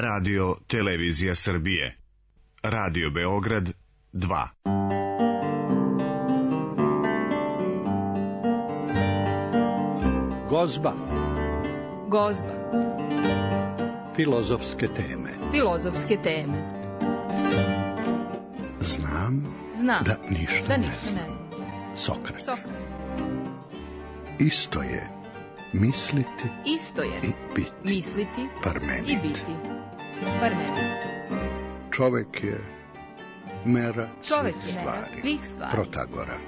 Radio Televizija Srbije. Radio Beograd 2. Gozba. Gozba. Filozofske teme. Filozofske teme. Znam da ništa ne znam. Sokrat. Isto je misliti i biti. Misliti Parmenid. i biti. Parmenid. Čovek je mera Čovek svih je mera svih stvari. Protagora.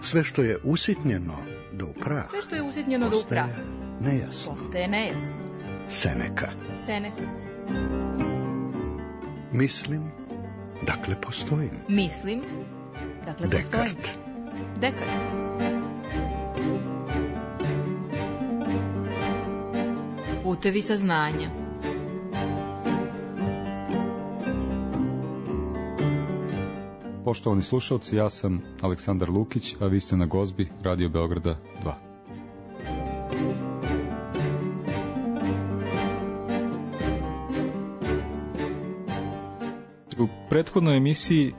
Sve što je usitnjeno do upraha. Sve što je usitnjeno do upraha. Postaje nejasno. Seneka. Mislim, dakle postojim. Descartes. Putevi saznanja. Poštovani slušalci, ja sam Aleksandar Lukić, a vi ste na Gozbi Radio Beograda 2. U prethodnoj emisiji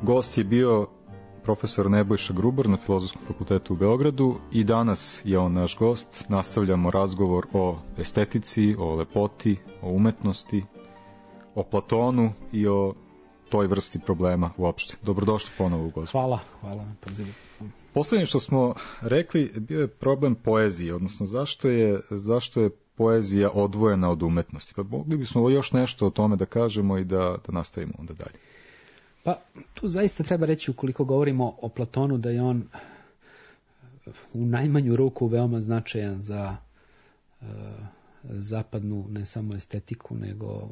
gost je bio profesor Nebojša Grubar na Filozofskom fakultetu u Beogradu i danas je on naš gost. Nastavljamo razgovor o estetici, o lepoti, o umetnosti, o Platonu i o toj vrsti problema uopšte. Dobrodošli ponovo u Gozbu. Hvala na pozivu. Poslednje što smo rekli bio je problem poezije, odnosno zašto je poezija odvojena od umetnosti. Pa mogli bismo još nešto o tome da kažemo i da nastavimo onda dalje. Pa tu zaista treba reći, ukoliko govorimo o Platonu, da je on u najmanju ruku veoma značajan za zapadnu ne samo estetiku, nego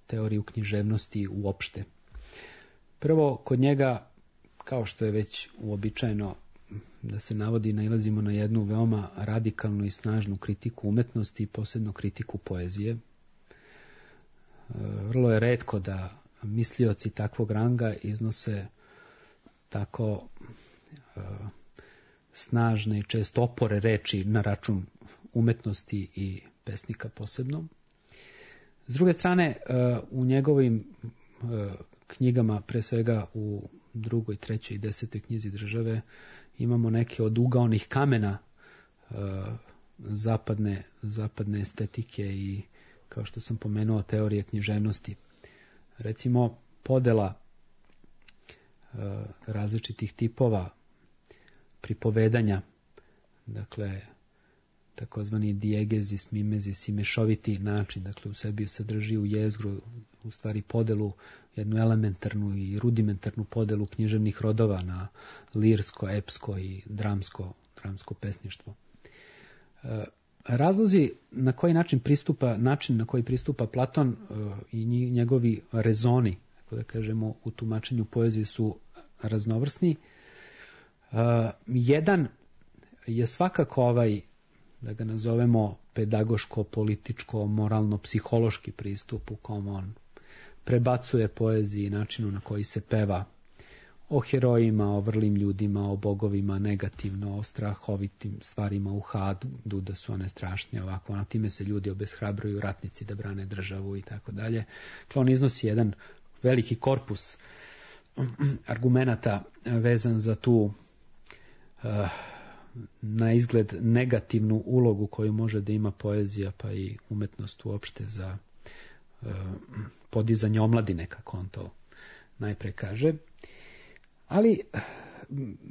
teoriju književnosti uopšte. Prvo, kod njega, kao što je već uobičajeno da se navodi, nailazimo na jednu veoma radikalnu i snažnu kritiku umetnosti i posebno kritiku poezije. Vrlo je retko da mislioci takvog ranga iznose tako snažne i često opore reči na račun umetnosti i pesnika posebno. S druge strane, u njegovim knjigama, pre svega u 2., 3. i 10. knjizi Države, imamo neke od ugaonih kamena zapadne estetike i, kao što sam pomenuo, teorije književnosti. Recimo, podela različitih tipova pripovedanja, dakle, takozvani diegezis, mimezis i mešoviti način, dakle u sebi sadrži u jezgru u stvari podelu, jednu elementarnu i rudimentarnu podelu književnih rodova na lirsko, epsko i dramsko pesništvo. Razlozi na koji način na koji pristupa Platon i njegovi rezoni, tako da kažemo, u tumačenju poezije su raznovrsni. Jedan je svakako da ga nazovemo pedagoško, političko, moralno, psihološki pristup u kom on prebacuje poeziji i načinu na koji se peva o herojima, o vrlim ljudima, o bogovima negativno, o strahovitim stvarima u hadu, da su one strašnje ovako, na time se ljudi obeshrabruju, ratnici da brane državu i tako dalje. On iznosi jedan veliki korpus argumenata vezan za tu na izgled negativnu ulogu koju može da ima poezija, pa i umetnost uopšte za podizanje omladine, kako on to najpre kaže. Ali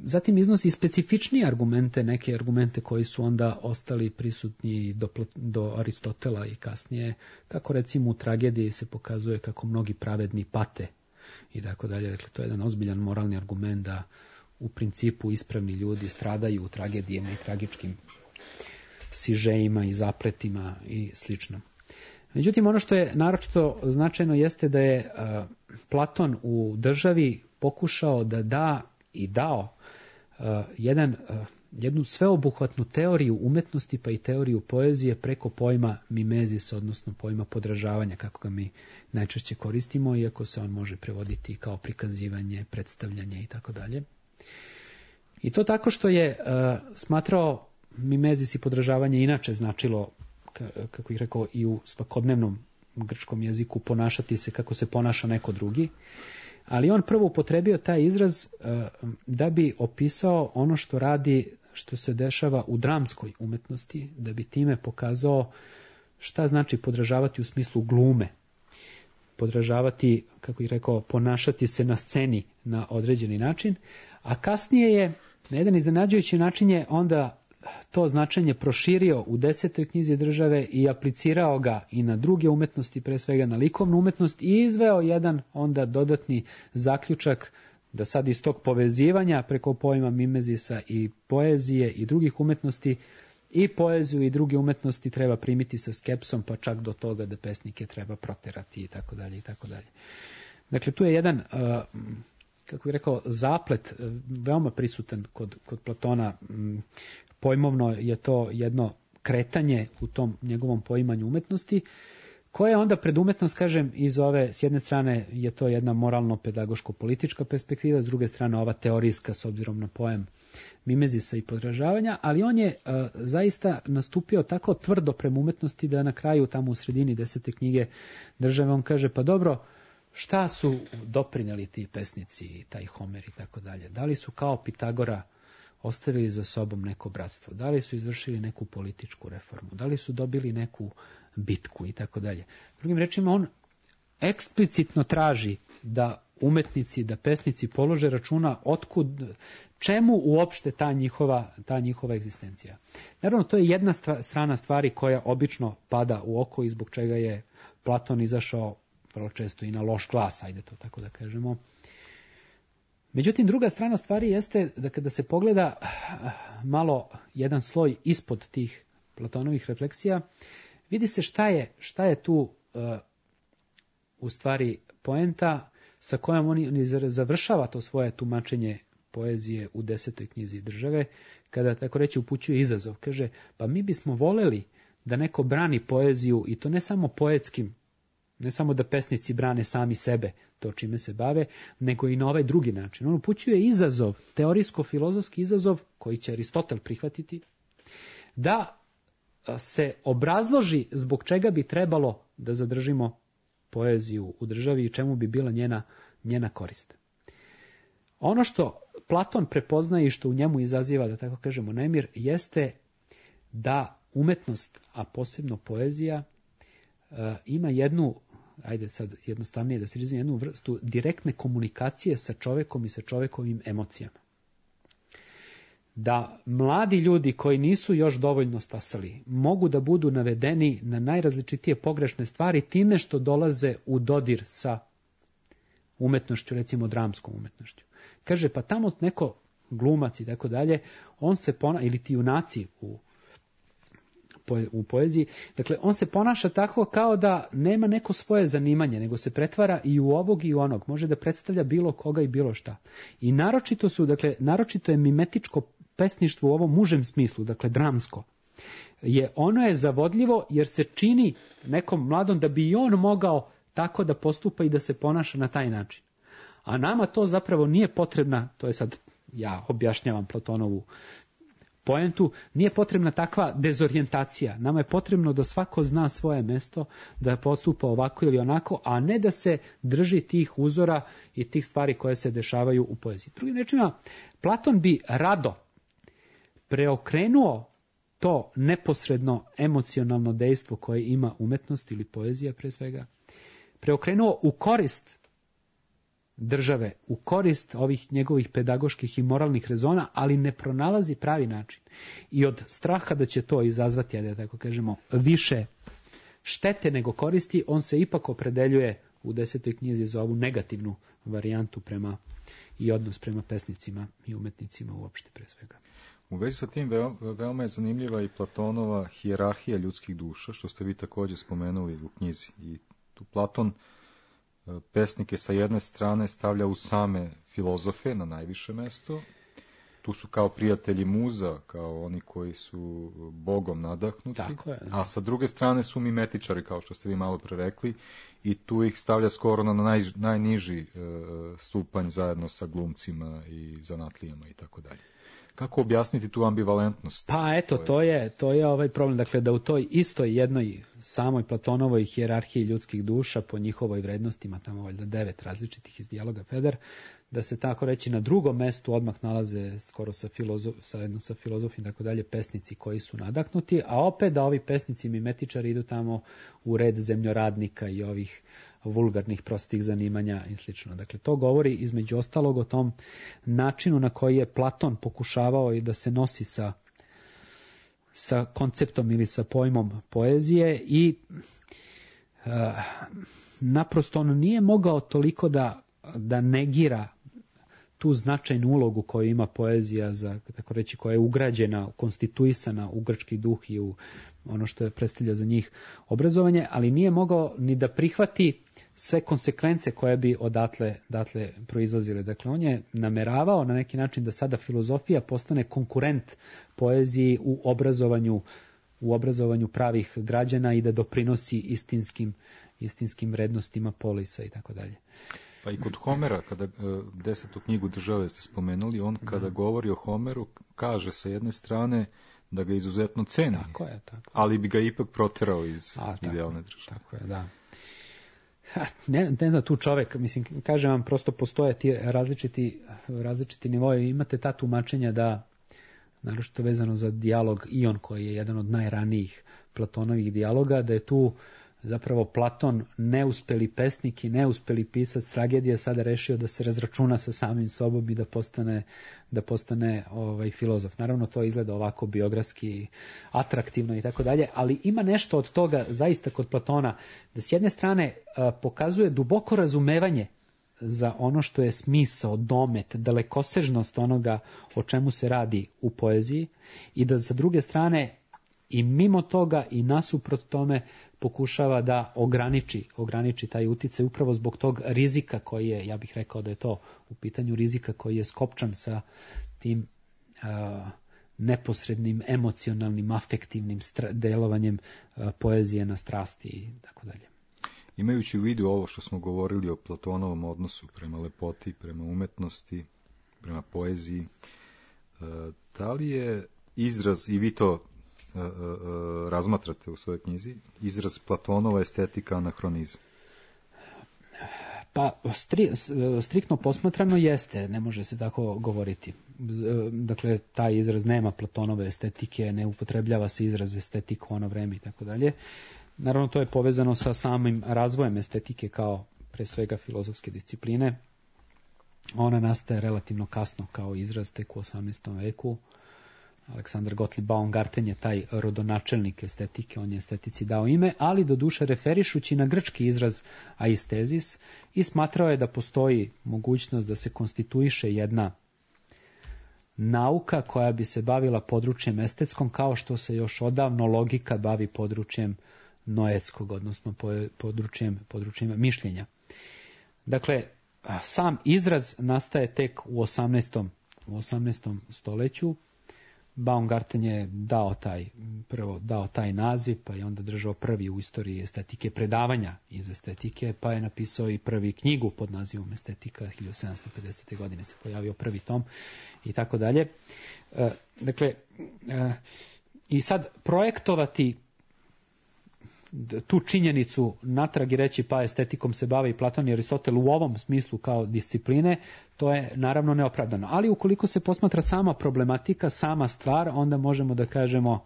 zatim iznosi specifičnije argumente, neke argumente koji su onda ostali prisutni do Aristotela i kasnije, kako recimo u tragediji se pokazuje kako mnogi pravedni pate i tako dalje. Dakle, to je jedan ozbiljan moralni argument da u principu ispravni ljudi stradaju u tragedijama i tragičkim sižejima i zapletima i slično. Međutim, ono što je naročito značajno jeste da je Platon u Državi pokušao da dao jednu sveobuhvatnu teoriju umetnosti pa i teoriju poezije preko pojma mimezis, odnosno pojma podražavanja, kako ga mi najčešće koristimo, iako se on može prevoditi kao prikazivanje, predstavljanje i tako dalje. I to tako što je smatrao mimezis i podražavanje inače značilo kako ih rekao, i u svakodnevnom grčkom jeziku ponašati se kako se ponaša neko drugi. Ali on prvo upotrebio taj izraz da bi opisao ono što radi, što se dešava u dramskoj umetnosti, da bi time pokazao šta znači podražavati u smislu glume. Podražavati, kako ih rekao, ponašati se na sceni na određeni način, a kasnije je na jedan iznenađujući način je onda to značenje proširio u 10. knjizi Države i aplicirao ga i na druge umetnosti, pre svega na likovnu umetnost, i izveo jedan onda dodatni zaključak da sad iz tog povezivanja preko pojma mimezisa i poezije i drugih umetnosti i poeziju i druge umetnosti treba primiti sa skepsom, pa čak do toga da pesnike treba proterati i tako dalje i tako dalje. Dakle, tu je jedan, kako bih rekao, zaplet veoma prisutan kod Platona. Pojmovno je to jedno kretanje u tom njegovom poimanju umetnosti, koje onda pred umetnost, kažem, iz ove, s jedne strane je to jedna moralno-pedagoško-politička perspektiva, s druge strane ova teorijska s obzirom na pojam mimezisa i podražavanja, ali on je zaista nastupio tako tvrdo prema umetnosti da na kraju, tamo u sredini 10. knjige Države, on kaže, pa dobro, šta su doprineli ti pesnici, taj Homer i tako dalje? Da li su kao Pitagora ostavili za sobom neko bratstvo? Da li su izvršili neku političku reformu? Da li su dobili neku bitku i tako dalje? Drugim rečima, on eksplicitno traži da umetnici, da pesnici polože računa otkud, čemu uopšte ta njihova egzistencija. Naravno, to je jedna strana stvari koja obično pada u oko i zbog čega je Platon izašao vrlo često i na loš glas, ajde to tako da kažemo. Međutim, druga strana stvari jeste da kada se pogleda malo jedan sloj ispod tih Platonovih refleksija, vidi se šta je tu u stvari poenta sa kojom on završava to svoje tumačenje poezije u 10. knjizi Države, kada tako reći upućuje izazov. Kaže, pa mi bismo voleli da neko brani poeziju, i to ne samo poetskim, ne samo da pesnici brane sami sebe, to čime se bave, nego i na ovaj drugi način. On upućuje izazov, teorijsko-filozofski izazov, koji će Aristotel prihvatiti, da se obrazloži zbog čega bi trebalo da zadržimo poeziju u državi i čemu bi bila njena korist. Ono što Platon prepoznaje i što u njemu izaziva, da tako kažemo, nemir, jeste da umetnost, a posebno poezija, ima jednu, ajde sad jednostavnije da se izrazim, jednu vrstu direktne komunikacije sa čovekom i sa čovekovim emocijama. Da mladi ljudi koji nisu još dovoljno stasali mogu da budu navedeni na najrazličitije pogrešne stvari time što dolaze u dodir sa umetnošću, recimo dramskom umetnošću. Kaže, pa tamo neko glumac i tako dalje, on se ili ti junaci u poeziji, dakle, on se ponaša tako kao da nema neko svoje zanimanje, nego se pretvara i u ovog i u onog, može da predstavlja bilo koga i bilo šta. I naročito je mimetičko pesništvo u ovom užem smislu, dakle dramsko. Ono je zavodljivo jer se čini nekom mladom da bi i on mogao tako da postupa i da se ponaša na taj način. A nama to zapravo nije potrebna, to je sad, ja objašnjavam Platonovu poentu, nije potrebna takva dezorijentacija. Nama je potrebno da svako zna svoje mesto, da postupa ovako ili onako, a ne da se drži tih uzora i tih stvari koje se dešavaju u poeziji. Drugim rečima, Platon bi rado preokrenuo to neposredno emocionalno dejstvo koje ima umetnost ili poezija pre svega, preokrenuo u korist države, u korist ovih njegovih pedagoških i moralnih rezona, ali ne pronalazi pravi način. I od straha da će to izazvati, da tako kažemo, više štete nego koristi, on se ipak opredeljuje u 10. knjizi za ovu negativnu varijantu i odnos prema pesnicima i umetnicima uopšte pre svega. U vezi sa tim veoma je zanimljiva i Platonova hijerarhija ljudskih duša, što ste vi također spomenuli u knjizi. I tu Platon pesnike sa jedne strane stavlja u same filozofe na najviše mesto. Tu su kao prijatelji muza, kao oni koji su Bogom nadahnuti. Tako je. A sa druge strane su mimetičari, kao što ste vi malo pre rekli, i tu ih stavlja skoro na najniži stupanj zajedno sa glumcima i zanatlijama i tako dalje. Kako objasniti tu ambivalentnost? Pa eto, to je ovaj problem. Dakle, da u toj istoj jednoj samoj Platonovoj hijerarhiji ljudskih duša po njihovoj vrednostima, tamo valjda 9 različitih iz dijaloga Feder, da se tako reći na drugom mestu odmah nalaze skoro sa filozofijom i tako dalje pesnici koji su nadahnuti, a opet da ovi pesnici mimetičari idu tamo u red zemljoradnika i ovih vulgarnih prostih zanimanja i slično. Dakle, to govori između ostalog o tom načinu na koji je Platon pokušavao i da se nosi sa konceptom ili sa pojmom poezije i naprosto on nije mogao toliko da negira tu značajnu ulogu koju ima poezija, tako reći, koja je ugrađena, konstituisana u grčki duh i u ono što je predstavlja za njih obrazovanje, ali nije mogao ni da prihvati sve konsekvence koje bi odatle proizlazile. Dakle, on je nameravao na neki način da sada filozofija postane konkurent poeziji u obrazovanju pravih građana i da doprinosi istinskim vrednostima polisa i tako dalje. Pa i kod Homera, kada 10. knjigu Države ste spomenuli, on kada govori o Homeru, kaže sa jedne strane da ga izuzetno ceni, tako je. Ali bi ga ipak proterao iz idealne države. Tako je, da. Ne znam, tu čovek, mislim, kažem vam, prosto postoje ti različiti nivoji. Imate ta tumačenja da, naročito vezano za dijalog Ion, koji je jedan od najranijih Platonovih dijaloga, da je tu zapravo Platon, neuspeli pesnik i neuspeli pisac tragedije, sada rešio da se razračuna sa samim sobom i da postane filozof. Naravno, to izgleda ovako biografski atraktivno i tako dalje, ali ima nešto od toga zaista kod Platona, da s jedne strane pokazuje duboko razumevanje za ono što je smisao, domet, dalekosežnost onoga o čemu se radi u poeziji i da sa druge strane i mimo toga i nasuprot tome pokušava da ograniči taj uticaj upravo zbog tog rizika koji je, ja bih rekao da je to u pitanju rizika koji je skopčan sa tim neposrednim, emocionalnim, afektivnim delovanjem poezije na strasti i tako dalje. Imajući u vidu ovo što smo govorili o Platonovom odnosu prema lepoti, prema umetnosti, prema poeziji, da li je izraz, i vi to razmatrate u svojoj knjizi, izraz Platonova estetika anahronizam? Pa, striktno posmatrano jeste, ne može se tako govoriti. Dakle, taj izraz nema Platonove estetike, ne upotrebljava se izraz estetika u ono vreme i tako dalje. Naravno, to je povezano sa samim razvojem estetike kao pre svega filozofske discipline. Ona nastaje relativno kasno kao izraz, tek u 18. veku. Aleksandar Gottlieb Baumgarten je taj rodonačelnik estetike, on je estetici dao ime, ali doduše referišući na grčki izraz aistezis i smatrao je da postoji mogućnost da se konstituiše jedna nauka koja bi se bavila područjem estetskom, kao što se još odavno logika bavi područjem noetskog, odnosno područjem mišljenja. Dakle, sam izraz nastaje tek u 18. stoljeću. Baumgarten je dao taj naziv, pa je onda držao prvi u istoriji estetike predavanja iz estetike, pa je napisao i prvi knjigu pod nazivom Estetika, 1750. godine se pojavio prvi tom i tako dalje. Dakle, i sad projektovati tu činjenicu natrag i reći pa estetikom se bavi Platon i Aristotel u ovom smislu kao discipline, to je naravno neopravdano. Ali ukoliko se posmatra sama problematika, sama stvar, onda možemo da kažemo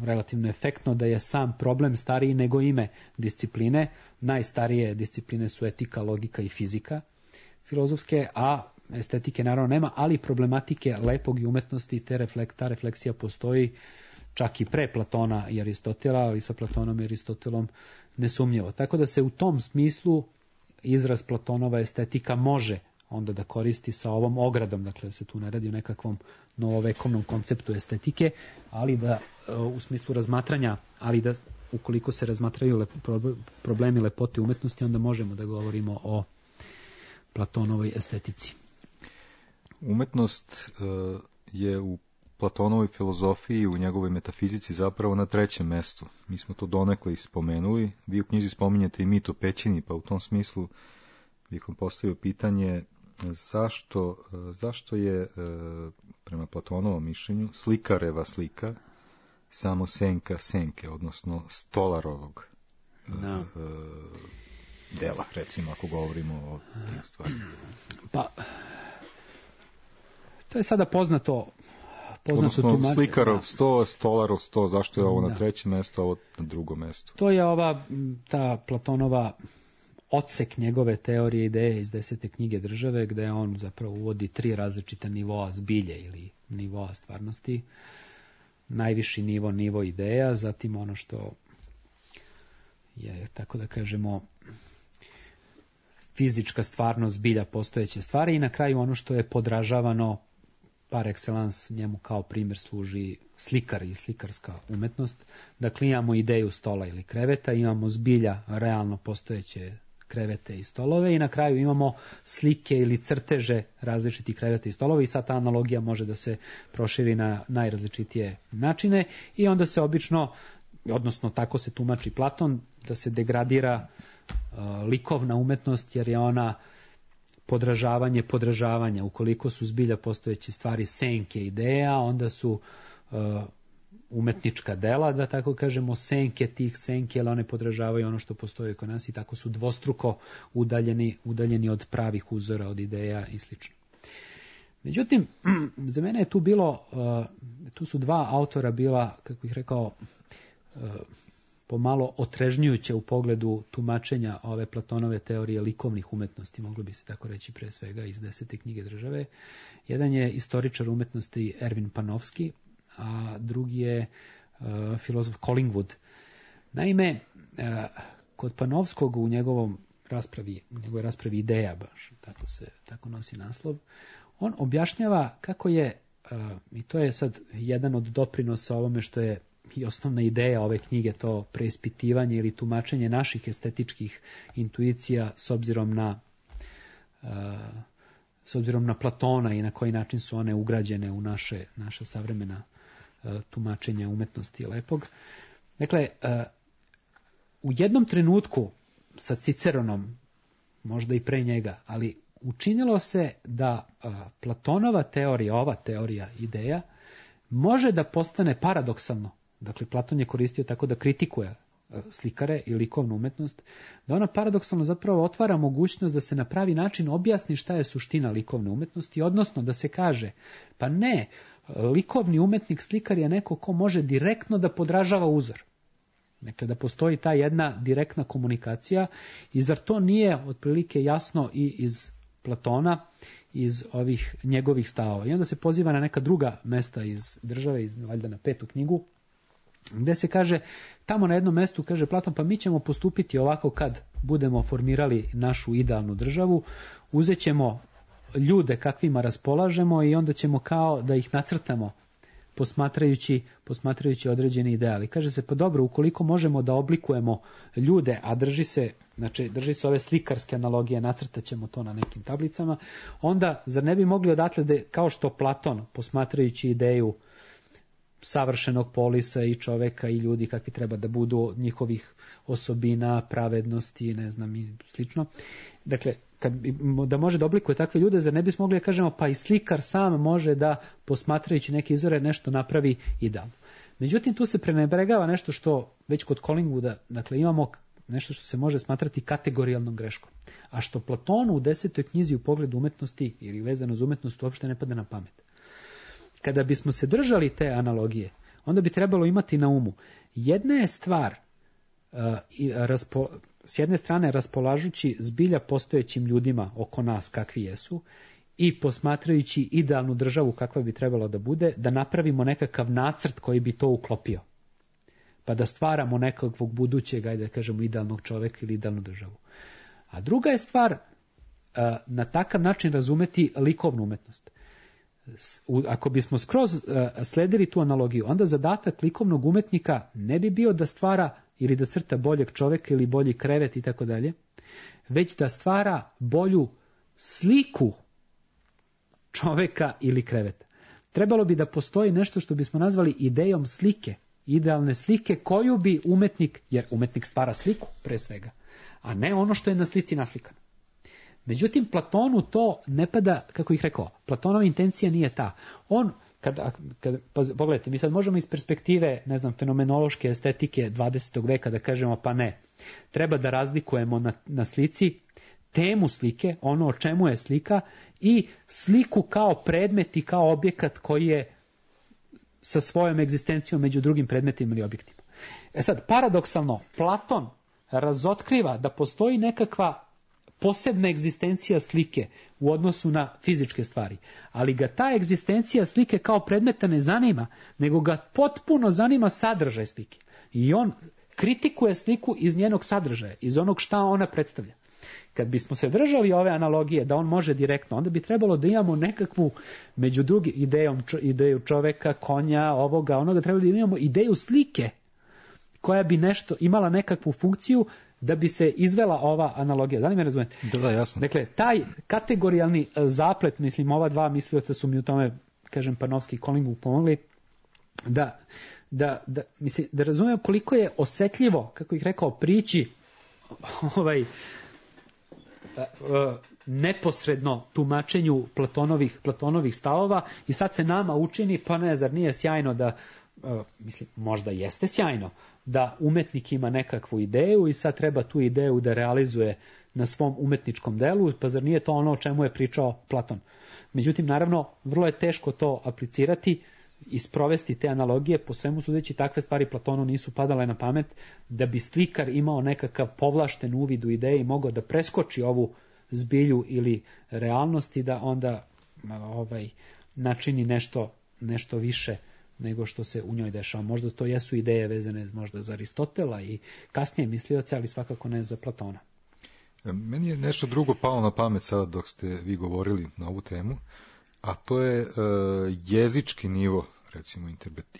relativno efektno da je sam problem stariji nego ime discipline. Najstarije discipline su etika, logika i fizika filozofske, a estetike naravno nema, ali problematike lepog i umetnosti, ta refleksija postoji čak i pre Platona i Aristotela, ali sa Platonom i Aristotelom nesumnjivo. Tako da se u tom smislu izraz Platonova estetika može onda da koristi sa ovom ogradom, dakle da se tu ne radi o nekakvom novovekovnom konceptu estetike, ali da u smislu razmatranja, ali da ukoliko se razmatraju problemi lepote umetnosti, onda možemo da govorimo o Platonovoj estetici. Umetnost je u Platonovoj filozofiji, u njegovoj metafizici zapravo na 3. mestu. Mi smo to donekle spomenuli. Vi u knjizi spominjete i mit o pećini, pa u tom smislu bih vam postavio pitanje zašto je prema Platonovom mišljenju slikareva slika samo senka senke, odnosno Stolarovog dela, recimo, ako govorimo o tim stvarima. Pa, to je sada poznato odnosno slikarov 100, Stolarov 100, zašto je ovo na trećem mjestu, a ovo na drugom mjestu? To je ta Platonova odsek njegove teorije ideje iz 10. knjige Države, gde on zapravo uvodi 3 različita nivoa zbilje ili nivoa stvarnosti. Najviši nivo ideja, zatim ono što je, tako da kažemo, fizička stvarnost zbilja postojeće stvari i na kraju ono što je podražavano par excellence, njemu kao primjer služi slikar i slikarska umetnost. Dakle, imamo ideju stola ili kreveta, imamo zbilja realno postojeće krevete i stolove i na kraju imamo slike ili crteže različitih kreveta i stolova i sad ta analogija može da se proširi na najrazličitije načine i onda se obično, odnosno tako se tumači Platon, da se degradira likovna umetnost jer je ona podražavanja. Ukoliko su zbilja postojeće stvari senke ideja, onda su umetnička dela, da tako kažemo, senke tih senke, ali one podražavaju ono što postoji kod nas i tako su dvostruko udaljeni od pravih uzora, od ideja i sl. Međutim, za mene je tu su 2 autora bila, kako bih rekao, pomalo otrežnjujuće u pogledu tumačenja ove Platonove teorije likovnih umetnosti, moglo bi se tako reći pre svega iz 10. knjige Države. Jedan je istoričar umetnosti Ervin Panofsky, a drugi je filozof Collingwood. Naime, kod Panofskog u njegovoj raspravi ideja, baš tako nosi naslov, on objašnjava kako je, i to je sad jedan od doprinosa ovome što je i osnovna ideja ove knjige, to preispitivanje ili tumačenje naših estetičkih intuicija s obzirom na Platona i na koji način su one ugrađene u naša savremena tumačenja umetnosti i lepog. Dakle, u jednom trenutku sa Ciceronom, možda i pre njega, ali učinilo se da Platonova teorija, ova teorija ideja, može da postane paradoksalno. Dakle, Platon je koristio tako da kritikuje slikare i likovnu umetnost, da ona paradoksalno zapravo otvara mogućnost da se na pravi način objasni šta je suština likovne umetnosti, odnosno da se kaže, pa ne, likovni umetnik, slikar je neko ko može direktno da podražava uzor. Dakle, da postoji ta jedna direktna komunikacija i zar to nije otprilike jasno i iz Platona, iz ovih njegovih stavova. I onda se poziva na neka druga mesta iz Države, valjda na 5. knjigu, gde se kaže, tamo na jednom mestu kaže Platon, pa mi ćemo postupiti ovako kad budemo formirali našu idealnu državu, uzet ćemo ljude kakvima raspolažemo i onda ćemo kao da ih nacrtamo posmatrajući određene ideali. Kaže se, pa dobro, ukoliko možemo da oblikujemo ljude, a drži se ove slikarske analogije, nacrtat ćemo to na nekim tablicama, onda zar ne bi mogli odatle da, kao što Platon, posmatrajući ideju savršenog polisa i čoveka i ljudi kakvi treba da budu, njihovih osobina, pravednosti, ne znam i slično. Dakle, da može da oblikuje takve ljude, zar ne bismo mogli da kažemo, pa i slikar sam može da, posmatrajući neke izvore, nešto napravi idealno. Međutim, tu se prenebregava nešto što već kod Collingwooda, dakle, imamo nešto što se može smatrati kategorijalnom greškom. A što Platonu u 10. knjizi u pogledu umetnosti ili vezano za umetnost uopšte ne pada na pamet. Kada bismo se držali te analogije, onda bi trebalo imati na umu. Jedna je stvar, s jedne strane raspolažući zbilja postojećim ljudima oko nas kakvi jesu i posmatrajući idealnu državu kakva bi trebala da bude, da napravimo nekakav nacrt koji bi to uklopio. Pa da stvaramo nekakvog budućeg, ajde da kažemo, idealnog čoveka ili idealnu državu. A druga je stvar na takav način razumeti likovnu umetnost. Ako bismo skroz sledili tu analogiju, onda zadatak likovnog umetnika ne bi bio da stvara ili da crta boljeg čoveka ili bolji krevet i tako dalje, već da stvara bolju sliku čoveka ili kreveta. Trebalo bi da postoji nešto što bismo nazvali idejom slike, idealne slike koju bi umetnik, jer umetnik stvara sliku pre svega, a ne ono što je na slici naslikano. Međutim, Platonu to ne pada, kako ih rekao, Platonova intencija nije ta. On, pogledajte, mi sad možemo iz perspektive, ne znam, fenomenološke estetike 20. veka da kažemo pa ne, treba da razlikujemo na slici temu slike, ono o čemu je slika, i sliku kao predmet i kao objekat koji je sa svojom egzistencijom među drugim predmetima ili objektima. Sad, paradoksalno, Platon razotkriva da postoji nekakva posebna egzistencija slike u odnosu na fizičke stvari, ali ga ta egzistencija slike kao predmeta ne zanima, nego ga potpuno zanima sadržaj slike. I on kritikuje sliku iz njenog sadržaja, iz onog šta ona predstavlja. Kad bismo se držali ove analogije da on može direktno, onda bi trebalo da imamo nekakvu među drugim ideju čoveka, konja, ovoga, onoga, trebalo da imamo ideju slike koja bi nešto imala nekakvu funkciju da bi se izvela ova analogija. Da li me razumete? Da, jasno. Dakle, taj kategorijalni zaplet, mislim, ova dva mislioca su mi u tome, kažem, Panofski i Collingwood pomogli, da razumiju koliko je osetljivo, kako ih rekao, prići neposredno tumačenju Platonovih stavova, i sad se nama učini, pa ne, zar nije sjajno da, mislim, možda jeste sjajno, da umetnik ima nekakvu ideju i sad treba tu ideju da realizuje na svom umetničkom delu, pa zar nije to ono o čemu je pričao Platon. Međutim, naravno, vrlo je teško to aplicirati i sprovesti te analogije, po svemu sudeći takve stvari Platonu nisu padale na pamet, da bi slikar imao nekakav povlašten uvid u ideje i mogao da preskoči ovu zbilju ili realnosti, da onda načini nešto više nego što se u njoj dešava. Možda to jesu ideje vezane možda za Aristotela i kasnije mislioce, ali svakako ne za Platona. Meni je nešto drugo palo na pamet sada dok ste vi govorili na ovu temu, a to je jezički nivo, recimo,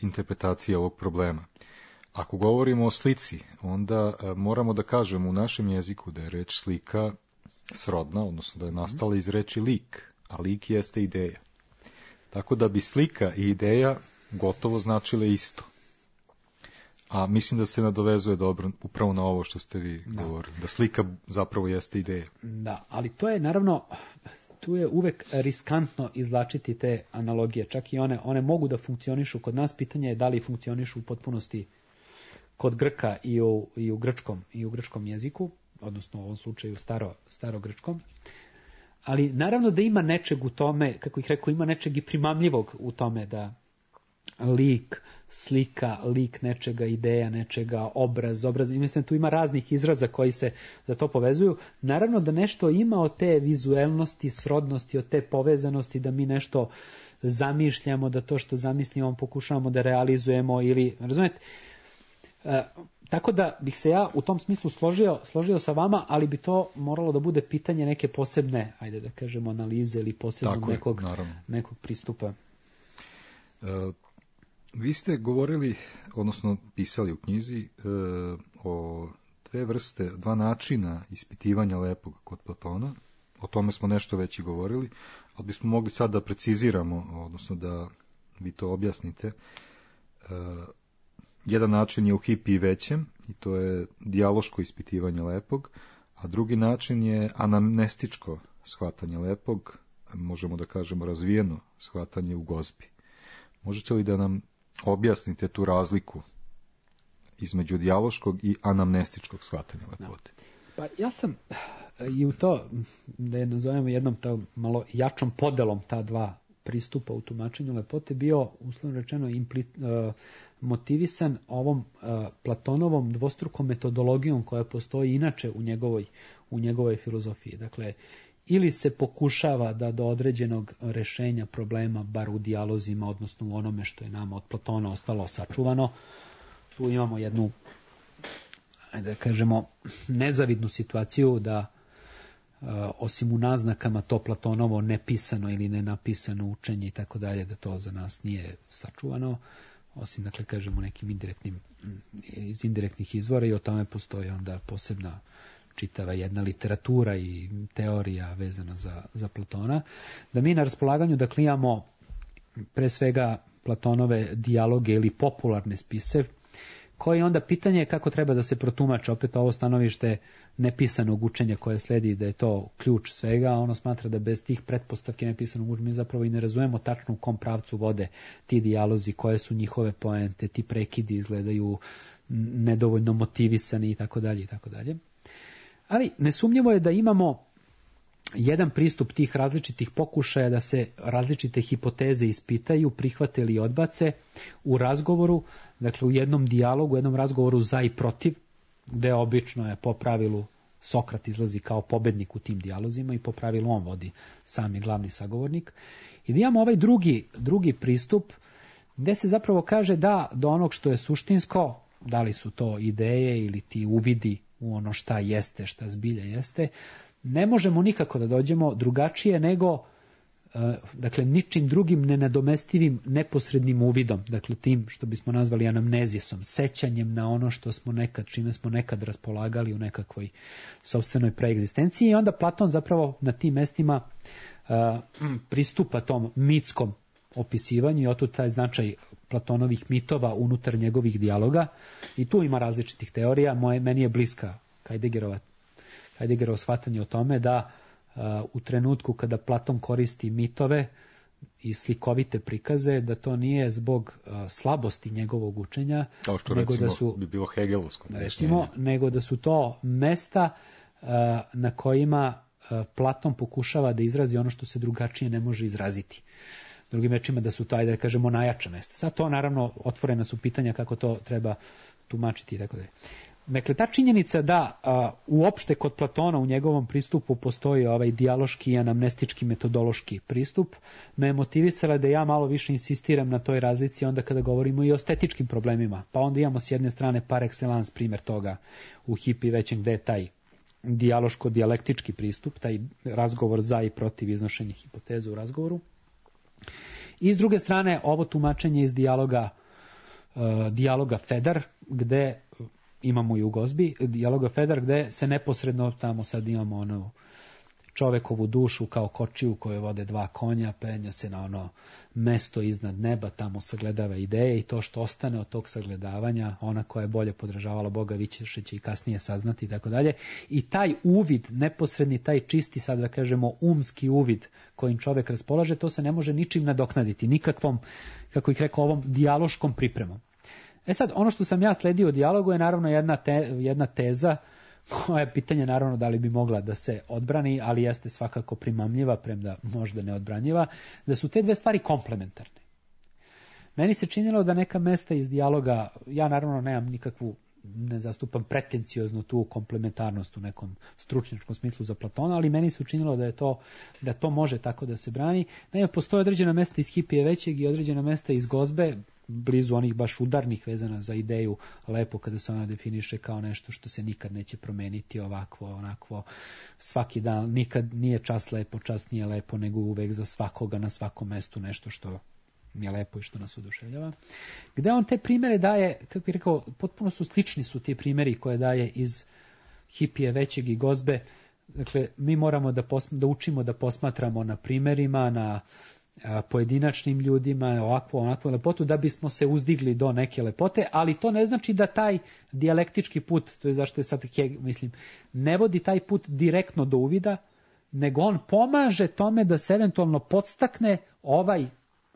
interpretacije ovog problema. Ako govorimo o slici, onda moramo da kažemo u našem jeziku da je reč slika srodna, odnosno da je nastala iz reči lik, a lik jeste ideja. Tako da bi slika i ideja gotovo značile isto. A mislim da se nadovezuje dobro upravo na ovo što ste vi govorili, da slika zapravo jeste ideja. Da, ali to je naravno, tu je uvek riskantno izvlačiti te analogije, čak i one mogu da funkcionišu kod nas, pitanje je da li funkcionišu u potpunosti kod Grka i u grčkom jeziku, odnosno u ovom slučaju starogrčkom. Ali naravno da ima nečeg u tome, kako ih rekao, ima nečeg i primamljivog u tome da lik, slika, lik nečega, ideja nečega, obraz. I mislim, tu ima raznih izraza koji se za to povezuju. Naravno da nešto ima od te vizuelnosti, srodnosti, od te povezanosti, da mi nešto zamišljamo, da to što zamislimo pokušavamo da realizujemo ili, razumete? Tako da bih se ja u tom smislu složio sa vama, ali bi to moralo da bude pitanje neke posebne, ajde da kažemo, analize ili posebnog nekog pristupa. Vi ste govorili, odnosno pisali u knjizi, o dva načina ispitivanja lepog kod Platona. O tome smo nešto već i govorili, ali bismo mogli sad da preciziramo, odnosno da vi to objasnite. Jedan način je u hipi i većem, i to je dijaloško ispitivanje lepog, a drugi način je anamnestičko shvatanje lepog, možemo da kažemo razvijeno shvatanje u gozbi. Možete li da nam objasnite tu razliku između dijaloškog i anamnestičkog shvatanja lepote? Pa ja sam i u to, da je nazovemo jednom malo jačom podelom ta dva pristupa u tumačenju lepote, bio, uslovno rečeno, motivisan ovom Platonovom dvostrukom metodologijom koja postoji inače u njegovoj filozofiji. Dakle, ili se pokušava da do određenog rešenja problema, bar u dijalozima, odnosno u onome što je nama od Platona ostalo sačuvano, tu imamo jednu, da kažemo, nezavidnu situaciju da osim u naznakama to Platonovo nepisano ili nenapisano učenje i tako dalje, da to za nas nije sačuvano, osim, dakle, kažemo, nekim iz indirektnih izvora, i o tome postoji onda posebna čitava jedna literatura i teorija vezana za Platona, da mi na raspolaganju, dakle, imamo pre svega Platonove dijaloge ili popularne spise, koji onda pitanje kako treba da se protumače, opet ovo stanovište nepisanog učenja koje sledi, da je to ključ svega, a ono smatra da bez tih pretpostavke nepisanog učenja mi zapravo i ne razumemo tačno u kom pravcu vode ti dijalozi, koje su njihove poente, ti prekidi izgledaju nedovoljno motivisani i tako dalje i tako dalje. Ali nesumnjivo je da imamo jedan pristup tih različitih pokušaja da se različite hipoteze ispitaju, prihvate ili odbace u razgovoru, dakle u jednom dijalogu, u jednom razgovoru za i protiv, gde obično je po pravilu Sokrat izlazi kao pobednik u tim dijalozima i po pravilu on vodi sami glavni sagovornik. I da imamo ovaj drugi pristup gde se zapravo kaže da do onog što je suštinsko, da li su to ideje ili ti uvidi u ono šta jeste, šta zbilja jeste, ne možemo nikako da dođemo drugačije nego dakle ničim drugim nenadomestivim neposrednim uvidom, dakle tim što bismo nazvali anamnezisom, sećanjem na ono što smo nekad, čime smo nekad raspolagali u nekakvoj sopstvenoj preegzistenciji. I onda Platon zapravo na tim mestima pristupa tom mitskom opisivanju i otud taj značaj Platonovih mitova unutar njegovih dijaloga. I tu ima različitih teorija. Meni je bliska Heideggerovo shvatanje o tome da u trenutku kada Platon koristi mitove i slikovite prikaze, da to nije zbog slabosti njegovog učenja, kao što nego recimo da su, bi bilo hegelovsko. Nego da su to mesta na kojima Platon pokušava da izrazi ono što se drugačije ne može izraziti. Drugim rečima da su to, ajde da kažemo, najjača mesta. Sad to naravno otvorena su pitanja kako to treba tumačiti i tako dalje. Dakle, ta činjenica da uopšte kod Platona u njegovom pristupu postoji ovaj dijaloški i anamnestički metodološki pristup, me motivisala da ja malo više insistiram na toj razlici onda kada govorimo i o estetičkim problemima. Pa onda imamo s jedne strane par excellence primjer toga u Hipi većem, gde je taj dijaloško-dijalektički pristup, taj razgovor za i protiv iznošenja hipoteze u razgovoru. I s druge strane ovo tumačenje iz dijaloga Fedar, gde imamo i u Gozbi, dijaloga Fedar, gde se neposredno tamo sad imamo ono čovekovu dušu kao kočiju koje vode dva konja, penja se na ono mesto iznad neba, tamo sagledava ideje i to što ostane od tog sagledavanja, ona koja je bolje podržavala Boga više će i kasnije saznati i tako dalje. I taj uvid, neposredni, taj čisti, sad da kažemo umski uvid kojim čovek raspolaže, to se ne može ničim nadoknaditi, nikakvom, kako ih rekao, ovom dijaloškom pripremom. Sad, ono što sam ja sledio u dijalogu je naravno jedna teza koja je pitanje naravno da li bi mogla da se odbrani, ali jeste svakako primamljiva, premda možda neodbranjiva, da su te dve stvari komplementarne. Meni se činilo da neka mesta iz dijaloga, ja naravno nemam nikakvu, ne zastupam pretencioznu tu komplementarnost u nekom stručnjačkom smislu za Platona, ali meni se učinilo da to može tako da se brani. Naime, postoje određena mesta iz Hipije većeg i određena mesta iz Gozbe, blizu onih baš udarnih vezana za ideju lepo, kada se ona definiše kao nešto što se nikad neće promeniti, ovakvo, onakvo, svaki dan, nikad nije čas lepo, čas nije lepo, nego uvek za svakoga na svakom mestu nešto što je lepo i što nas oduševljava. Gde on te primere daje, kako bih rekao, potpuno slični su ti primeri koje daje iz Hipije većeg i Gozbe. Dakle, mi moramo da učimo da posmatramo na primerima, na pojedinačnim ljudima, onakvu lepotu, da bismo se uzdigli do neke lepote, ali to ne znači da taj dijalektički put, to je zašto je sad ne vodi taj put direktno do uvida, nego on pomaže tome da se eventualno podstakne ovaj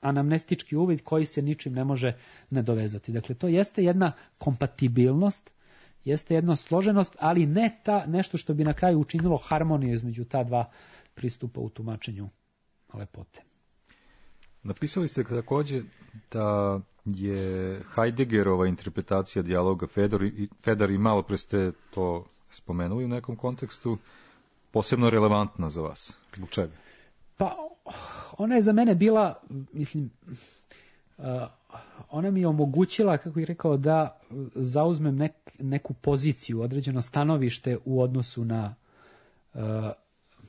anamnestički uvid koji se ničim ne može nadovezati. Dakle, to jeste jedna kompatibilnost, jeste jedna složenost, ali ne nešto što bi na kraju učinilo harmoniju između ta dva pristupa u tumačenju lepote. Napisali ste također da je Heideggerova interpretacija dijaloga Fedar i malo pre ste to spomenuli u nekom kontekstu, posebno relevantna za vas. Zbog čega? Pa, ona je za mene bila, ona mi je omogućila, kako bih rekao, da zauzmem neku poziciju, određeno stanovište u odnosu na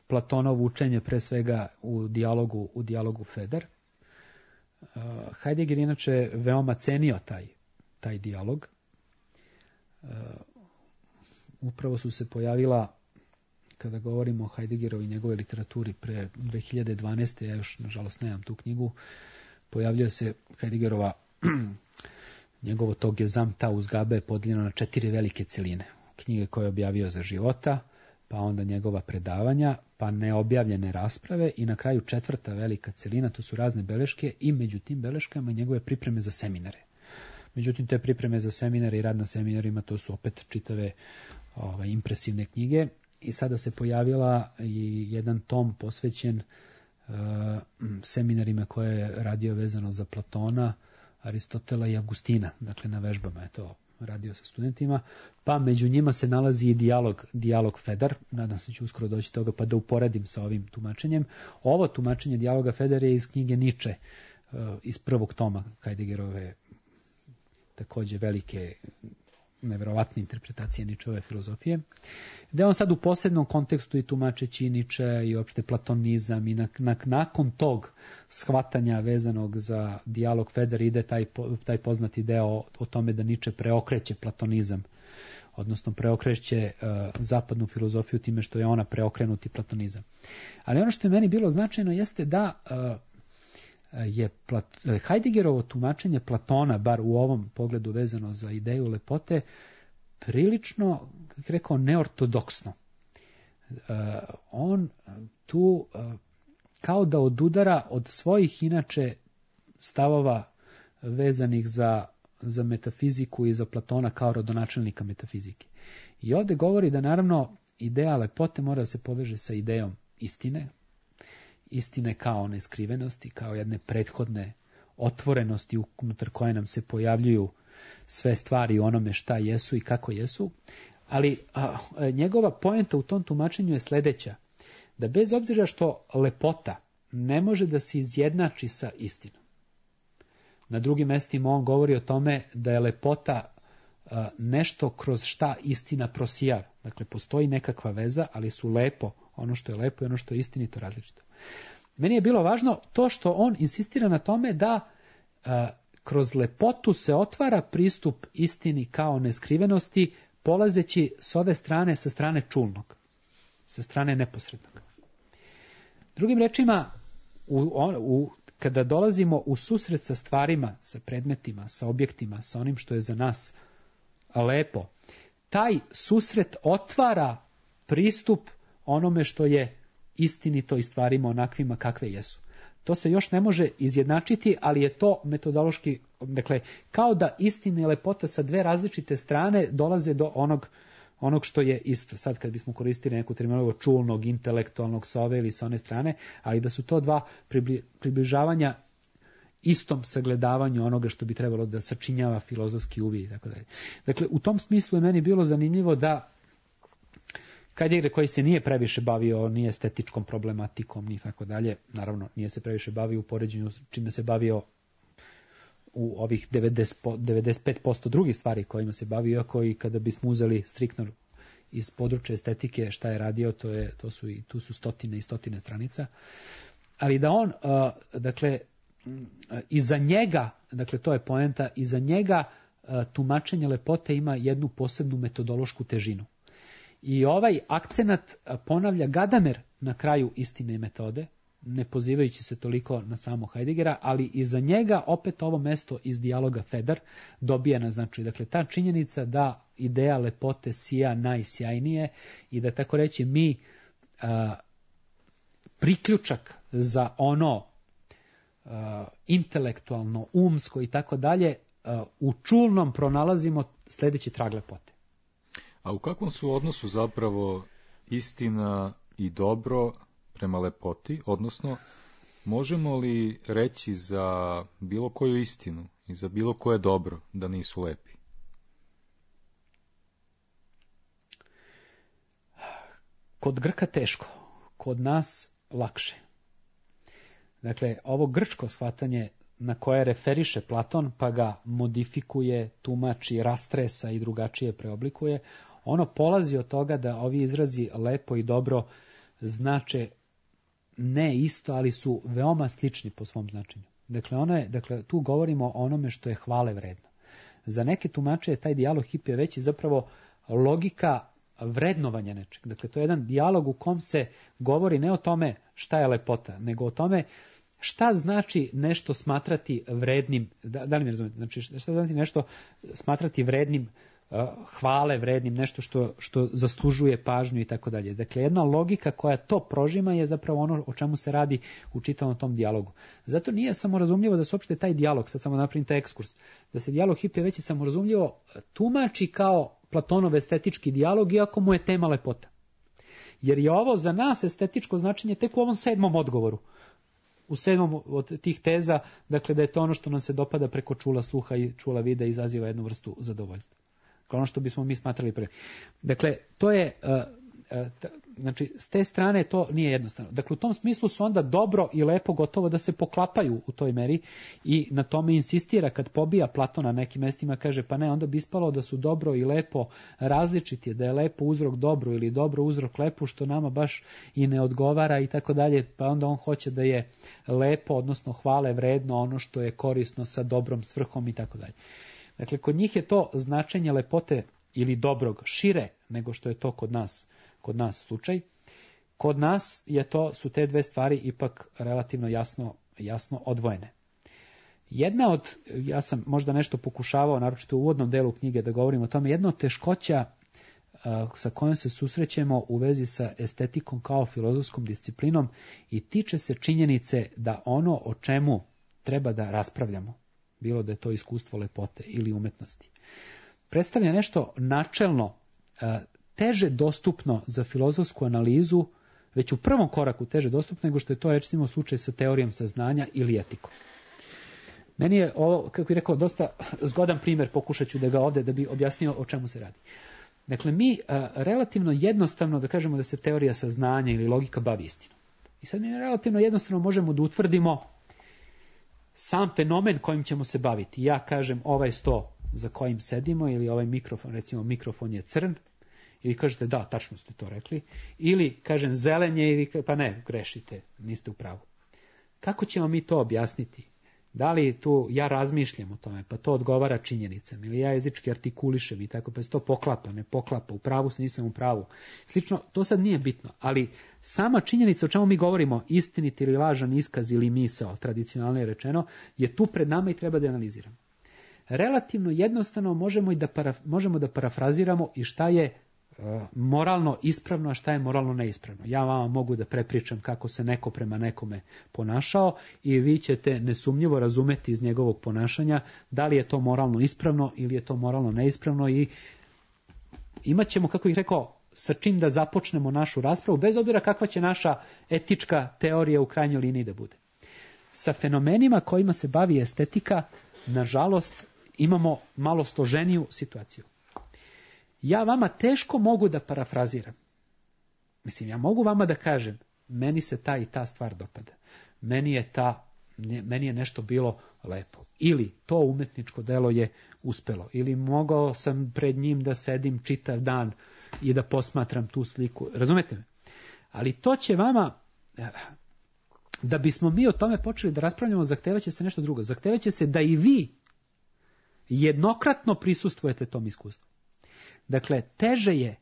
Platonovo učenje, pre svega u dijalogu Fedar. Heidegger inače veoma cenio taj dijalog. Upravo su se pojavila, kada govorimo o Heideggerovi i njegove literaturi pre 2012. Ja još nažalost nemam tu knjigu, pojavljuje se Heideggerova Njegovo to Gezamta Uzgabe je podijeljeno na 4 velike celine. Knjige koje je objavio za života, pa onda njegova predavanja, pa neobjavljene rasprave i na kraju 4. velika celina, to su razne beleške i među tim beleškama njegove pripreme za seminare. Međutim, te pripreme za seminare i rad na seminarima, to su opet čitave impresivne knjige. I sada se pojavila i jedan tom posvećen seminarima koje je radio vezano za Platona, Aristotela i Agustina. Dakle, na vežbama je to radio sa studentima. Pa među njima se nalazi i dijalog Fedar. Nadam se ću uskoro doći toga pa da uporedim sa ovim tumačenjem. Ovo tumačenje dijaloga Fedar je iz knjige Nietzsche, iz 1. toma Heideggerove također velike, neverovatne interpretacije Nietzscheove filozofije, gde on sad u posebnom kontekstu i tumačeći Nietzsche i uopšte platonizam i nakon tog shvatanja vezanog za dijalog Fedar ide taj poznati deo o tome da Nietzsche preokreće platonizam, odnosno preokreće zapadnu filozofiju time što je ona preokrenuti platonizam. Ali ono što je meni bilo značajno jeste da je Heideggerovo tumačenje Platona, bar u ovom pogledu vezano za ideju lepote, prilično, kako rekao, neortodoksno. On tu kao da odudara od svojih inače stavova vezanih za metafiziku i za Platona kao rodonačelnika metafizike. I ovdje govori da naravno ideja lepote mora da se poveže sa idejom istine kao neskrivenosti, kao jedne prethodne otvorenosti unutar koje nam se pojavljuju sve stvari u onome šta jesu i kako jesu, ali njegova poenta u tom tumačenju je sljedeća, da bez obzira što lepota ne može da se izjednači sa istinom. Na drugim mestima on govori o tome da je lepota nešto kroz šta istina prosijava. Dakle, postoji nekakva veza, ali su lepo, ono što je lepo i ono što je istinito različito. Meni je bilo važno to što on insistira na tome da kroz lepotu se otvara pristup istini kao neskrivenosti, polazeći s ove strane, sa strane čulnog, sa strane neposrednog. Drugim rečima, kada dolazimo u susret sa stvarima, sa predmetima, sa objektima, sa onim što je za nas lepo, taj susret otvara pristup onome što je istinito i stvarima onakvima kakve jesu. To se još ne može izjednačiti, ali je to metodološki, dakle, kao da istina i lepota sa dve različite strane dolaze do onog što je isto. Sad kad bismo koristili neku terminologiju čulnog, intelektualnog sa ove ili sa one strane, ali da su to dva približavanja istom sagledavanju onoga što bi trebalo da sačinjava filozofski uvid i tako dalje. Dakle, u tom smislu je meni bilo zanimljivo da Heidegger, koji se nije previše bavio ni estetičkom problematikom ni tako dalje, naravno nije se previše bavio u poređenju čime se bavio u ovih 95% drugih stvari kojima se bavio, iako i kada bismo uzeli striktno iz područja estetike šta je radio, tu su stotine i stotine stranica, ali da on, dakle, iza njega, dakle to je poenta, iza njega tumačenje lepote ima jednu posebnu metodološku težinu. I ovaj akcenat ponavlja Gadamer na kraju istine i metode, ne pozivajući se toliko na samo Heideggera, ali iza njega opet ovo mesto iz dijaloga Fedar dobija na značaju. Dakle, ta činjenica da ideja lepote sija najsjajnije i da tako reći mi priključak za ono intelektualno, umsko i tako dalje, u čulnom pronalazimo sljedeći trag lepote. A u kakvom su odnosu zapravo istina i dobro prema lepoti, odnosno možemo li reći za bilo koju istinu i za bilo koje dobro da nisu lepi? Kod Grka teško, kod nas lakše. Dakle, ovo grčko shvatanje na koje referiše Platon, pa ga modifikuje, tumači, rastresa i drugačije preoblikuje, ono polazi od toga da ovi izrazi lepo i dobro znače ne isto, ali su veoma slični po svom značenju. Dakle, tu govorimo o onome što je hvale vredno. Za neke tumače je taj dijalog Hipija veći zapravo logika vrednovanja nečeg. Dakle, to je jedan dijalog u kom se govori ne o tome šta je lepota, nego o tome šta znači nešto smatrati vrednim, da li mi razumete, znači šta znači nešto smatrati vrednim hvale, vrednim, nešto što zaslužuje pažnju i tako dalje. Dakle, jedna logika koja to prožima je zapravo ono o čemu se radi u čitavom tom dijalogu. Zato nije samorazumljivo da se uopšte taj dijalog, sad samo napravim taj ekskurs, da se dijalog Hipija već je samorazumljivo tumači kao Platonov estetički dijalog, iako mu je tema lepota. Jer je ovo za nas estetičko značenje tek u ovom 7. odgovoru. U 7. od tih teza, dakle da je to ono što nam se dopada preko čula sluha i čula vida i izaziva jednu vrstu zadovoljstva. Ono što bismo mi smatrali pre. Dakle, to je, znači, s te strane to nije jednostavno. Dakle, u tom smislu su onda dobro i lepo gotovo da se poklapaju u toj meri i na tome insistira kad pobija Platon na nekim mestima, kaže pa ne, onda bi ispalo da su dobro i lepo različiti, da je lepo uzrok dobro ili dobro uzrok lepo, što nama baš i ne odgovara i tako dalje, pa onda on hoće da je lepo, odnosno hvale vredno ono što je korisno sa dobrom svrhom i tako dalje. Dakle, kod njih je to značenje lepote ili dobrog šire nego što je to kod nas slučaj. Kod nas su te dve stvari ipak relativno jasno odvojene. Jedna od, ja sam možda nešto pokušavao, naročito u uvodnom delu knjige da govorim o tome, jedna od teškoća sa kojom se susrećemo u vezi sa estetikom kao filozofskom disciplinom i tiče se činjenice da ono o čemu treba da raspravljamo, bilo da je to iskustvo lepote ili umetnosti, predstavlja nešto načelno teže dostupno za filozofsku analizu, već u prvom koraku teže dostupno nego što je to recimo slučaj sa teorijom saznanja ili etikom. Meni je ovo, kako bih rekao, dosta zgodan primjer, pokušat ću da ga ovdje da bi objasnio o čemu se radi. Dakle, mi relativno jednostavno da kažemo da se teorija saznanja ili logika bavi istinom. I sad mi relativno jednostavno možemo da utvrdimo sam fenomen kojim ćemo se baviti. Ja kažem ovaj sto za kojim sedimo ili ovaj mikrofon, recimo mikrofon je crn, i vi kažete da, tačno ste to rekli, ili kažem zelen je i vi pa ne, grešite, niste u pravu. Kako ćemo mi to objasniti? Da li tu ja razmišljam o tome, pa to odgovara činjenicama, ili ja jezički artikulišem i tako, pa se to poklapa, ne poklapa, u pravu se, nisam u pravu. Slično, to sad nije bitno, ali sama činjenica o čemu mi govorimo, istinit ili lažan iskaz ili misao, tradicionalno je rečeno, je tu pred nama i treba da analiziramo. Relativno jednostavno možemo da parafraziramo i šta je moralno ispravno, a šta je moralno neispravno. Ja vama mogu da prepričam kako se neko prema nekome ponašao i vi ćete nesumnjivo razumeti iz njegovog ponašanja da li je to moralno ispravno ili je to moralno neispravno i imat ćemo, kako bih rekao, sa čim da započnemo našu raspravu, bez obzira kakva će naša etička teorija u krajnjoj liniji da bude. Sa fenomenima kojima se bavi estetika, nažalost, imamo malo složeniju situaciju. Ja vama teško mogu da parafraziram. Mislim, ja mogu vama da kažem, meni se ta i ta stvar dopada. Meni je nešto bilo lepo. Ili to umetničko delo je uspelo. Ili mogao sam pred njim da sedim čitav dan i da posmatram tu sliku. Razumete me? Ali to će vama, da bismo mi o tome počeli da raspravljamo, zahtevaće se nešto drugo. Zahtevaće se da i vi jednokratno prisustvujete tom iskustvu. Dakle, teže je,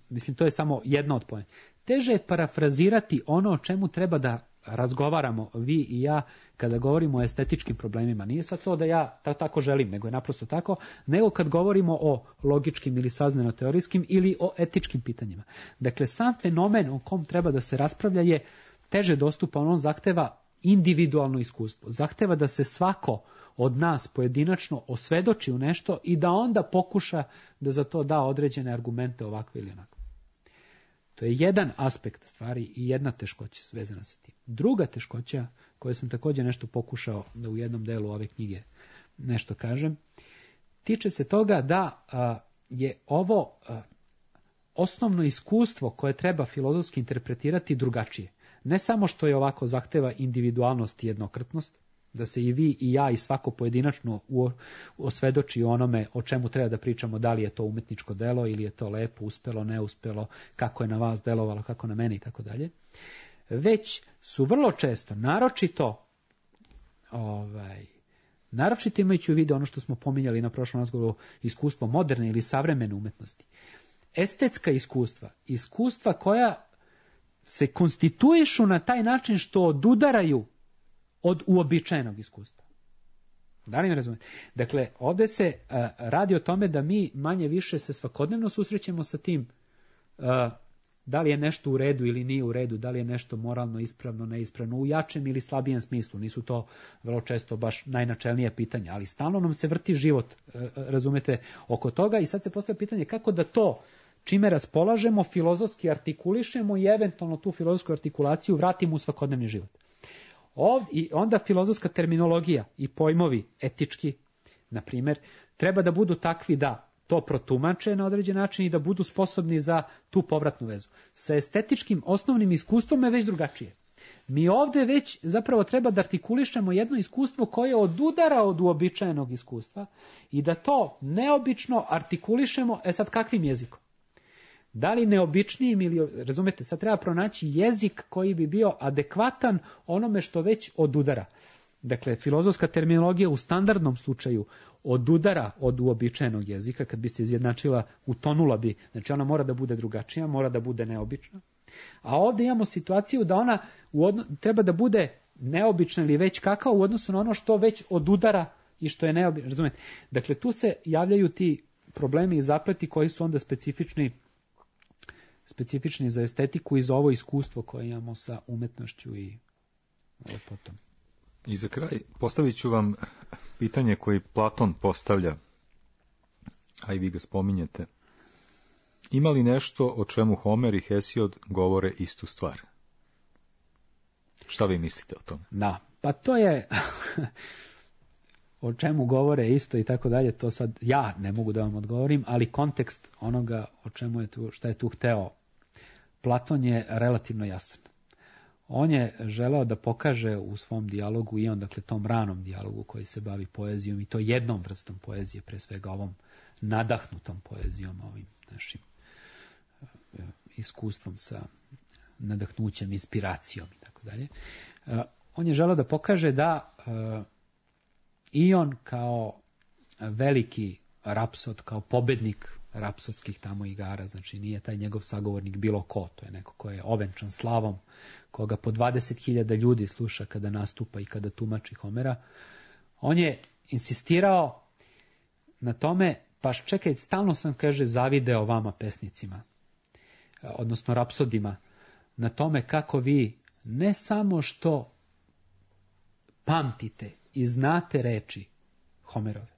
mislim to je samo jedna od pojena, teže je parafrazirati ono o čemu treba da razgovaramo vi i ja kada govorimo o estetičkim problemima. Nije sad to da ja tako želim, nego je naprosto tako, nego kad govorimo o logičkim ili saznano-teorijskim ili o etičkim pitanjima. Dakle, sam fenomen o kom treba da se raspravlja je teže dostupan, on zahteva individualno iskustvo. Zahteva da se svako od nas pojedinačno osvedoči u nešto i da onda pokuša da za to da određene argumente ovakve ili onako. To je jedan aspekt stvari i jedna teškoća vezana sa tim. Druga teškoća, koju sam također nešto pokušao da u jednom delu ove knjige nešto kažem, tiče se toga da je ovo osnovno iskustvo koje treba filozofski interpretirati drugačije. Ne samo što je ovako zahteva individualnost i jednokratnost, da se i vi i ja i svako pojedinačno osvedoči onome o čemu treba da pričamo, da li je to umetničko delo ili je to lepo, uspelo, neuspelo, kako je na vas delovalo, kako na mene i tako dalje. Već su vrlo često, naročito imajući u vidu ono što smo pominjali na prošlom razgovoru, iskustvo moderne ili savremene umetnosti. Estetska iskustva koja se konstituišu na taj način što odudaraju od uobičajenog iskustva. Da li mi razumete? Dakle, ovdje se radi o tome da mi manje više se svakodnevno susrećemo sa tim da li je nešto u redu ili nije u redu, da li je nešto moralno, ispravno, neispravno, u jačem ili slabijem smislu. Nisu to vrlo često baš najnačelnije pitanja, ali stalno nam se vrti život, razumete, oko toga i sad se postavlja pitanje kako da to čime raspolažemo, filozofski artikulišemo i eventualno tu filozofsku artikulaciju vratimo u svakodnevni život. I onda filozofska terminologija i pojmovi etički, na primjer, treba da budu takvi da to protumače na određen način i da budu sposobni za tu povratnu vezu. Sa estetičkim osnovnim iskustvom je već drugačije. Mi ovdje već zapravo treba da artikulišemo jedno iskustvo koje odudara od uobičajenog iskustva i da to neobično artikulišemo, sad kakvim jezikom? Da li neobičnijim ili, razumete, sad treba pronaći jezik koji bi bio adekvatan onome što već odudara. Dakle, filozofska terminologija u standardnom slučaju odudara od uobičajenog jezika, kad bi se izjednačila, utonula bi, znači ona mora da bude drugačija, mora da bude neobična. A ovdje imamo situaciju da ona treba da bude neobična ili već kakva u odnosu na ono što već odudara i što je neobično, razumete. Dakle, tu se javljaju ti problemi i zapleti koji su onda specifični za estetiku i za ovo iskustvo koje imamo sa umetnošću i lepotom. I za kraj postavit ću vam pitanje koje Platon postavlja, a i vi ga spominjete. Ima li nešto o čemu Homer i Hesiod govore istu stvar? Šta vi mislite o tome? Da, pa to je o čemu govore isto i tako dalje, to sad ja ne mogu da vam odgovorim, ali kontekst onoga o čemu je tu, šta je tu hteo Platon je relativno jasan. On je želeo da pokaže u svom dijalogu i on, dakle, tom ranom dijalogu koji se bavi poezijom i to jednom vrstom poezije, pre svega ovom nadahnutom poezijom, ovim našim iskustvom sa nadahnućem, inspiracijom i tako dalje. On je želeo da pokaže da i on kao veliki rapsod, kao pobednik rapsodskih tamo igara, znači nije taj njegov sagovornik bilo ko, to je neko ko je ovenčan slavom, koga po 20.000 ljudi sluša kada nastupa i kada tumači Homera. On je insistirao na tome, pa čekaj, stalno sam, kaže, zavideo vama pesnicima, odnosno rapsodima, na tome kako vi ne samo što pamtite i znate reči Homerove,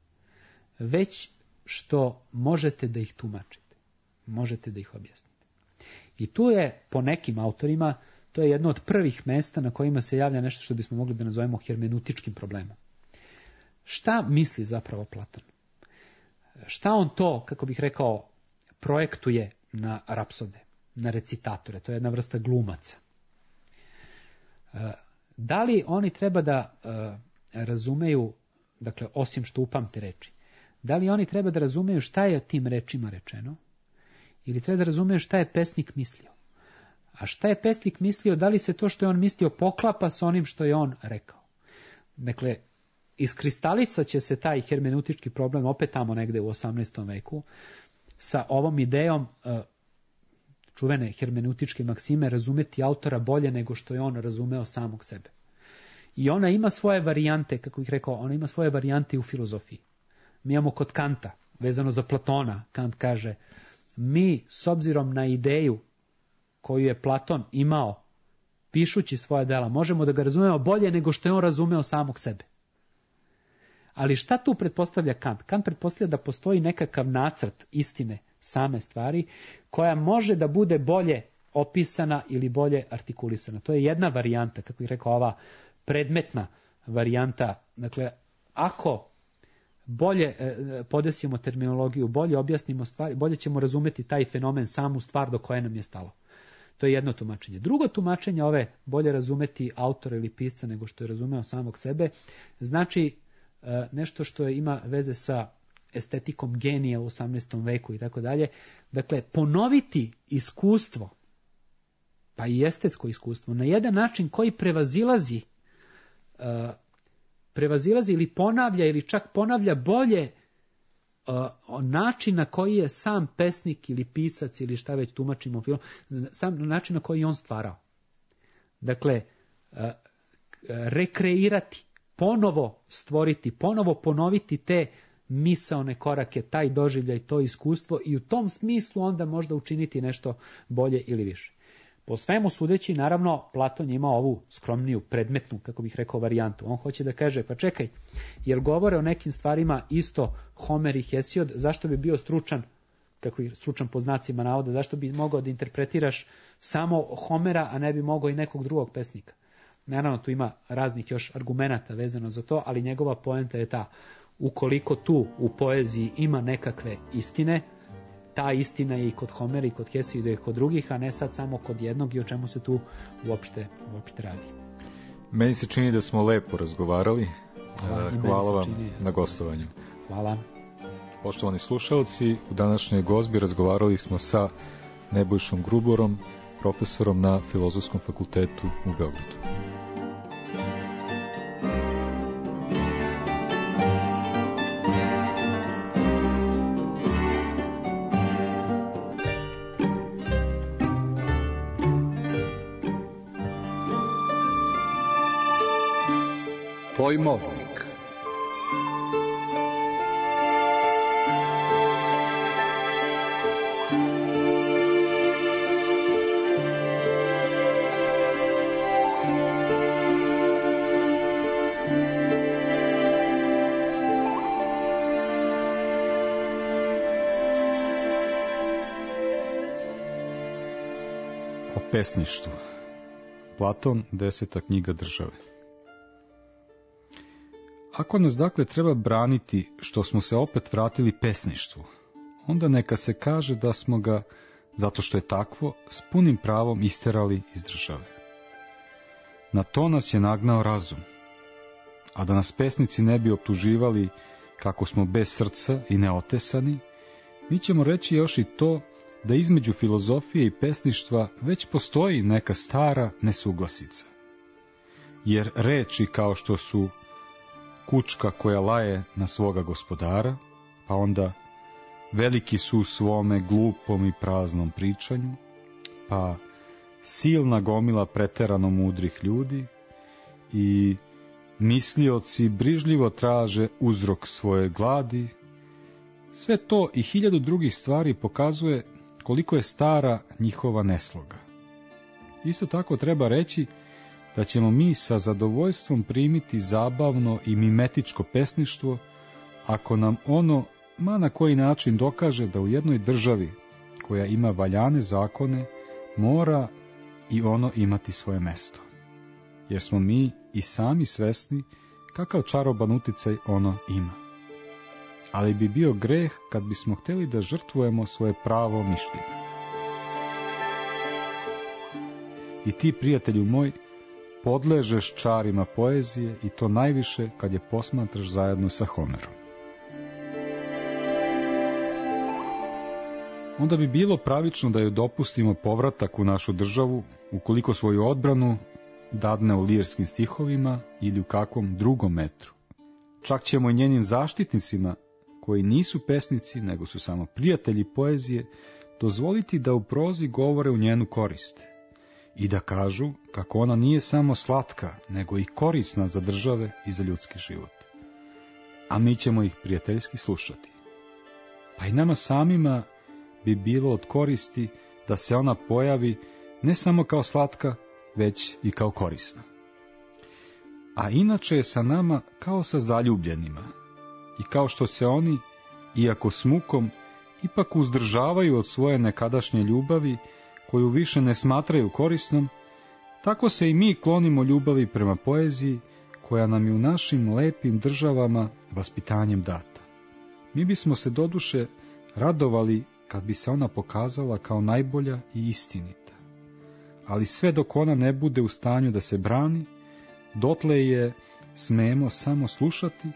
već što možete da ih tumačite, možete da ih objasnite. I tu je, po nekim autorima, to je jedno od prvih mesta na kojima se javlja nešto što bismo mogli da nazovemo hermeneutičkim problemom. Šta misli zapravo Platon? Šta on to, kako bih rekao, projektuje na rapsode, na recitatore? To je jedna vrsta glumaca. Da li oni treba da razumeju, dakle, osim što upamte reči, da li oni treba da razumeju šta je tim rečima rečeno ili treba da razumeju šta je pesnik mislio? A šta je pesnik mislio, da li se to što je on mislio poklapa s onim što je on rekao? Dakle, iskristalicat će se taj hermeneutički problem opet tamo negde u 18. veku sa ovom idejom čuvene hermeneutičke maksime razumeti autora bolje nego što je on razumeo samog sebe. I ona ima svoje varijante, kako bih rekao, ona ima svoje varijante u filozofiji. Mi imamo kod Kanta, vezano za Platona, Kant kaže, mi s obzirom na ideju koju je Platon imao pišući svoje dela, možemo da ga razumemo bolje nego što je on razumeo samog sebe. Ali šta tu pretpostavlja Kant? Kant pretpostavlja da postoji nekakav nacrt istine same stvari koja može da bude bolje opisana ili bolje artikulisana. To je jedna varijanta, kako bih rekao, ova predmetna varijanta. Dakle, ako bolje podesimo terminologiju, bolje objasnimo stvari, bolje ćemo razumeti taj fenomen, samu stvar do koje nam je stalo. To je jedno tumačenje. Drugo tumačenje ove bolje razumeti autora ili pisca nego što je razumeo samog sebe, znači nešto što ima veze sa estetikom genija u 18. veku i tako dalje. Dakle, ponoviti iskustvo, pa i estetsko iskustvo, na jedan način koji prevazilazi ili ponavlja ili čak ponavlja bolje način na koji je sam pesnik ili pisac ili šta već tumačimo film, sam način na koji je on stvarao. Dakle, rekreirati, ponovo stvoriti, ponovo ponoviti te misaone korake, taj doživljaj, to iskustvo i u tom smislu onda možda učiniti nešto bolje ili više. Po svemu sudeći, naravno, Platon je imao ovu skromniju, predmetnu, kako bih rekao, varijantu. On hoće da kaže, pa čekaj, jer govore o nekim stvarima isto Homer i Hesiod, zašto bi bio stručan, kako je stručan po znacima navoda, zašto bi mogao da interpretiraš samo Homera, a ne bi mogao i nekog drugog pesnika. Naravno, tu ima raznih još argumenata vezano za to, ali njegova poenta je ta, ukoliko tu u poeziji ima nekakve istine, ta istina je i kod Homera i kod Hesijida i kod drugih, a ne sad samo kod jednog i o čemu se tu uopšte radi. Meni se čini da smo lepo razgovarali. Hvala vam na gostovanju. Hvala. Poštovani slušalci, u današnjoj gozbi razgovarali smo sa Nebojšom Gruborom, profesorom na Filozofskom fakultetu u Beogradu. Pojmovnik. O pesništvu. Platon, 10. knjiga države. Ako nas dakle treba braniti što smo se opet vratili pesništvu, onda neka se kaže da smo ga, zato što je takvo, s punim pravom isterali iz države. Na to nas je nagnao razum, a da nas pesnici ne bi optuživali kako smo bez srca i neotesani, mi ćemo reći još i to da između filozofije i pesništva već postoji neka stara nesuglasica. Jer reči kao što su kučka koja laje na svoga gospodara, pa onda veliki su u svome glupom i praznom pričanju, pa silna gomila preterano mudrih ljudi i mislioci brižljivo traže uzrok svoje gladi, sve to i 1000 drugih stvari pokazuje koliko je stara njihova nesloga. Isto tako treba reći da ćemo mi sa zadovoljstvom primiti zabavno i mimetičko pesništvo, ako nam ono ma na koji način dokaže da u jednoj državi koja ima valjane zakone mora i ono imati svoje mesto. Jer smo mi i sami svesni kakav čaroban uticaj ono ima. Ali bi bio greh kad bismo htjeli da žrtvujemo svoje pravo mišljenje. I ti, prijatelju moj, podležeš čarima poezije i to najviše kad je posmatraš zajedno sa Homerom. Onda bi bilo pravično da joj dopustimo povratak u našu državu ukoliko svoju odbranu dadne u lirskim stihovima ili u kakvom drugom metru. Čak ćemo i njenim zaštitnicima, koji nisu pesnici nego su samo prijatelji poezije, dozvoliti da u prozi govore u njenu korist i da kažu kako ona nije samo slatka, nego i korisna za države i za ljudski život. A mi ćemo ih prijateljski slušati. Pa i nama samima bi bilo od koristi da se ona pojavi ne samo kao slatka, već i kao korisna. A inače je sa nama kao sa zaljubljenima, i kao što se oni, iako s mukom, ipak uzdržavaju od svoje nekadašnje ljubavi, koju više ne smatraju korisnom, tako se i mi klonimo ljubavi prema poeziji, koja nam je u našim lepim državama vaspitanjem data. Mi bismo se doduše radovali kad bi se ona pokazala kao najbolja i istinita. Ali sve dok ona ne bude u stanju da se brani, dotle je smemo samo slušati,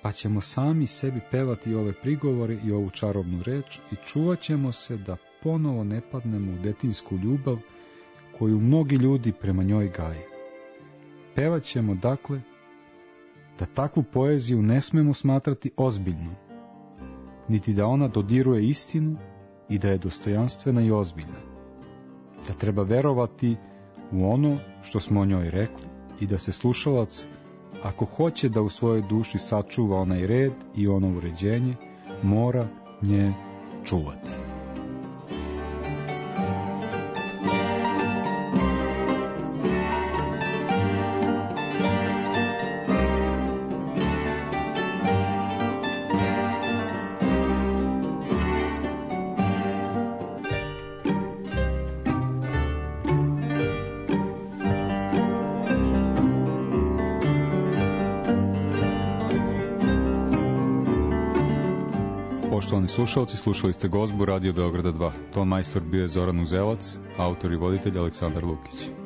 pa ćemo sami sebi pevati ove prigovore i ovu čarobnu reč i čuvat ćemo se da ponovo ne padnemo u detinsku ljubav koju mnogi ljudi prema njoj gaje. Pevat ćemo, dakle, da takvu poeziju ne smemo smatrati ozbiljnom, niti da ona dodiruje istinu i da je dostojanstvena i ozbiljna, da treba verovati u ono što smo o njoj rekli i da se slušalac, ako hoće da u svojoj duši sačuva onaj red i ono uređenje, mora nje čuvati. Poštovani slušalci, slušali ste Gozbu Radio Beograda 2. Ton majstor bio je Zoran Uzelac, autor i voditelj Aleksandar Lukić.